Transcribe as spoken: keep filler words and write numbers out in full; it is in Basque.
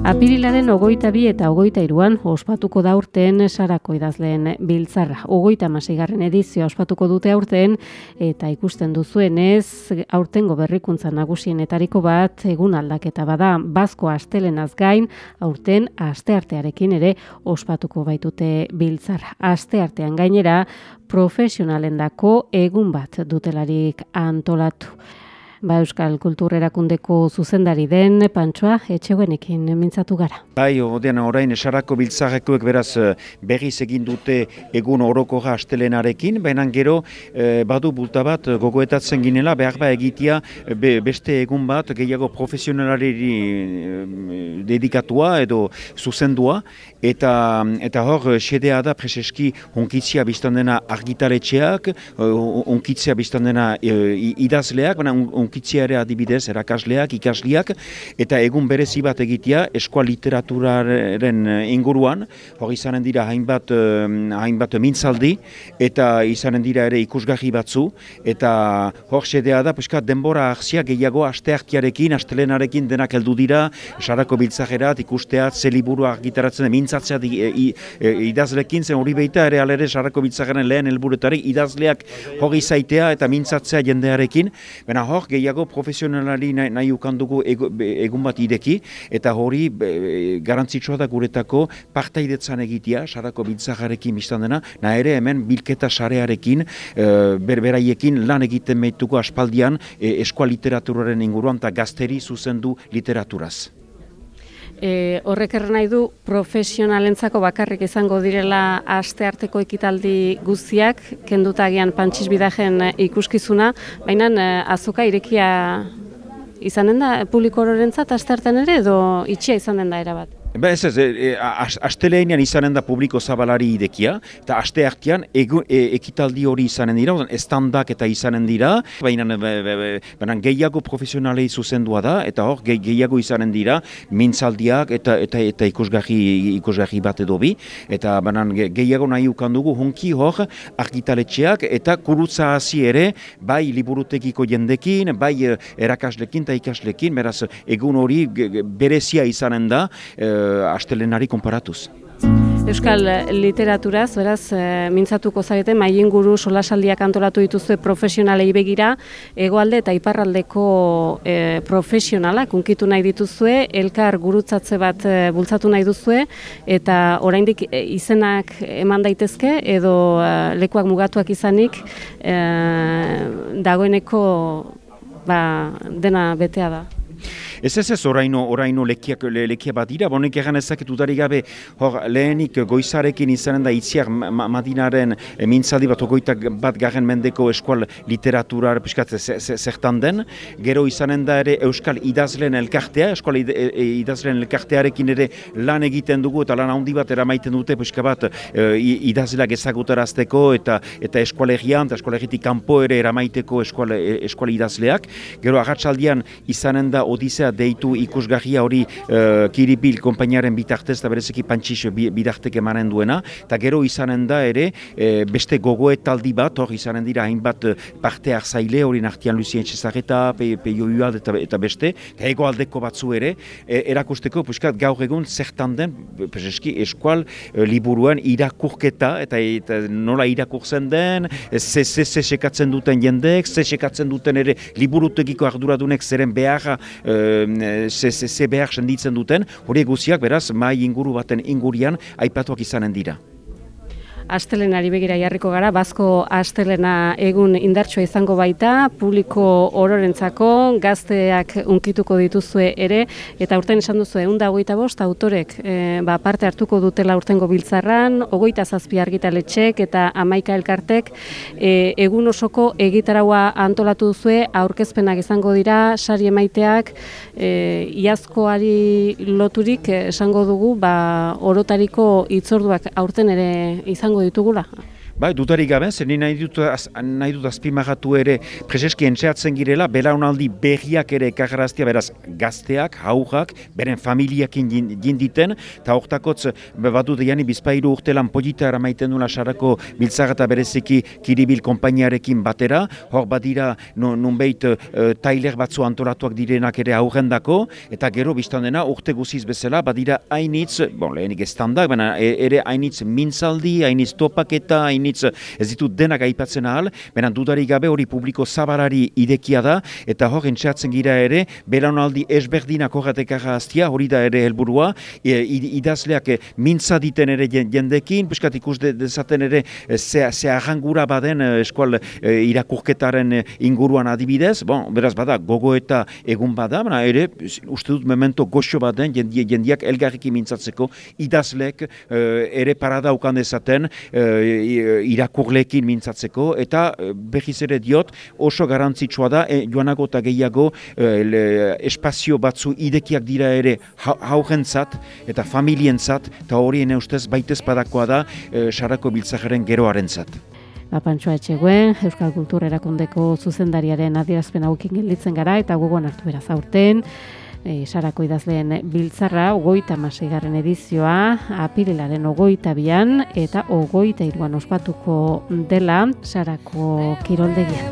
Apirilaren ogoita bi eta ogoita iruan ospatuko da urten Sarako idazleen biltzarra. Ogoita hamaseigarren edizioa ospatuko dute aurten eta ikusten duzuenez aurtengo berrikuntza nagusienetariko bat egun aldaketa bada. Bazko astelenaz gain aurten asteartearekin ere ospatuko baitute biltzarra. Asteartean gainera profesionalendako egun bat dutelarik antolatu. Ba, Euskal Kultur Erakundeko zuzendari den Pantsoa Etxeguenekin mintzatu gara. Bai, odean orain Sarako biltzarrekoek beraz berriz egin dute egun orokorra astelenarekin, baina gero eh, badu bulta bat gogoetatzen ginela behar ba egitea be, beste egun bat gehiago profesionalari eh, dedikatua edo zuzendua, eta eta hor xedea da preseski hunkitzia biztan dena argitaletxeak, hunkitzia biztan dena eh, idazleak, baina hunkitzia ere adibidez erakasleak, ikasliak, eta egun berezi bat egitea eskola literaturaren inguruan, hor izanen dira hainbat, hainbat mintzaldi, eta izanen dira ere ikusgarri batzu, eta hor xedea da, peskat denbora ahzia gehiago asteartearekin, astelenarekin denak heldu dira, Sarako biltzajerat, ikusteat, ze liburu argitaratzen, mintzatzea idazlekin, zen hori beita ere alere Sarako biltzajaren lehen helburutarik idazleak hori zaitea eta mintzatzea jendearekin, baina hor gehiago profesionalari nahi, nahi ukandugu egun bat ideki, eta hori e, garantzitsua da guretako partaidetzan egitea, Sarako biltzajarekin biztan dena, nahi ere hemen bilketa sarearekin, e, berberaiekin lan egiten meituko aspaldian e, eskola literaturaren inguruan eta gazteri zuzendu literaturaz. E, horrek erran nahi du profesionalentzako bakarrik izango direla astearteko ekitaldi guztiak, kenduta agian Pantxis Bidajen ikuskizuna, baina azoka irekia izanen da publiko ororentzat asteartean ere edo itxia izanen da erabat? Ba ez ez, e, astelehenean izanen da publiko zabalari idekia, eta asteartean e, ekitaldi hori izanen dira, estandak eta izanen dira, baina, baina gehiago profesionalei zuzendua da, eta hor ge, gehiago izanen dira, mintzaldiak eta, eta, eta ikusgarri, ikusgarri bat edo bi, eta baina gehiago nahi ukandugu honki hor argitaletxeak eta kurutza hasi ere, bai liburutekiko jendekin, bai erakaslekin eta ikaslekin, beraz egun hori berezia izanen da, e, astelenari konparatuz. Euskal literaturaz, beraz, e, mintzatuko zarete, mailinguru solasaldiak antolatu dituzue profesionalei begira, hegoalde eta iparraldeko e, profesionalak unkitu nahi dituzue, elkar gurutzatze bat e, bultzatu nahi duzue, eta oraindik e, izenak eman daitezke, edo e, lekuak mugatuak izanik, e, dagoeneko ba, dena betea da. Ez ez ez oraino, oraino lekiak, le, lekia bat dira, bonek egan ezaket udari gabe, hor lehenik goizarekin izanen da itziar ma, madinaren e, mintzaldi bat ogoitak bat garen mendeko eskual literaturar piskat zertan den, gero izanen da ere Euskal idazleen elkartea, eskual id, e, idazleen elkartearekin ere lan egiten dugu eta lan handi bat eramaiten dute piskat bat e, idazleak ezagutarazteko eta eta eskualegian eta eskualegitik kanpo ere eramaiteko eskual, eskual idazleak, gero agatsaldian izanen da Odisea deitu ikusgarria hori uh, Kiribil konpainiaren bitartez eta berezeki Pantxis bidartek emanen duena, eta gero izanen da ere e, beste gogoetaldi bat, hor izanen dira hainbat parte hartzaile hori nartian Lucien Txezareta, Peio Uald eta, eta beste, eta hegoaldeko batzu ere, e, erakusteko puskat gaur egun zertan den peseski eskual e, liburuen irakurketa, eta, eta nola irakurtzen den, ze ze ze sekatzen duten jendek, ze sekatzen duten ere liburutegiko arduradunek zeren beharra ze, ze, ze behar senditzen duten, hori guziak beraz mai inguru baten ingurian aipatuak izanen dira. Astelenari begira jarriko gara, Bazko astelena egun indartsua izango baita, publiko ororentzako, gazteak unkituko dituzue ere, eta urten esan duzu ehun eta hogeita bost autorek e, ba, parte hartuko dutela urtengo biltzarran, hogeita zazpi argitaletxek eta hamaika elkartek e, egun osoko egitaraua antolatu duzue, aurkezpenak izango dira, sari emaiteak, e, iazkoari loturik esango dugu, ba, orotariko hitzorduak aurten ere izango ditugula. Bai, dutarik gabe, zer ni nahi dut, az, nahi dut azpimagatu ere preseski entxeatzen girela, belaunaldi berriak ere ekarraztia, beraz gazteak, haurrak, beren familiakin jinditen, eta hortakotz badu deiani bizpairu urtelan polita eramaiten dula sarako biltzar eta bereziki Kiribil konpainiarekin batera, hor badira nunbeit uh, tailer batzu antolatuak direnak ere aurrendako, eta gero biztan dena urte guziz bezala, badira hainitz, bon, lehenik estandak, baina ere hainitz mintzaldi, hainitz topaketa, hainitz ez ditut denak aipatzen ahal, benen dudarik gabe hori publiko zabarari idekia da, eta hor entxeatzen gira ere, belaunaldi esberdinak horretekara hastia, hori da ere helburua, e, idazleak e, mintza diten ere jendekin, piskat ikus de, dezaten ere ze, ze arrangura baden eskual e, irakurketaren inguruan adibidez, bon, beraz bada gogoeta egun bada, baina ere uste dut memento goxo baden jendiak, jendiak elgarriki mintzatzeko idazleek e, ere parada ukan dezaten e, irakurleekin mintzatzeko, eta berriz ere diot oso garrantzitsua da, e, joanago eta gehiago e, le, espazio batzu idekiak dira ere haurentzat eta familientzat, eta horien ustez baitez padakoa da e, sarako biltzajaren geroarentzat. Pantxoa Etxeguen, Euskal Kultur Erakundeko zuzendariaren adierazpen hauekin gelditzen gara, eta gogoan hartu beraz aurten, E, sarako idazleen biltzarra, ogoita hamaseigarren edizioa, apirilaren ogoita bian, eta ogoita hiruan ospatuko dela sarako kiroldegian.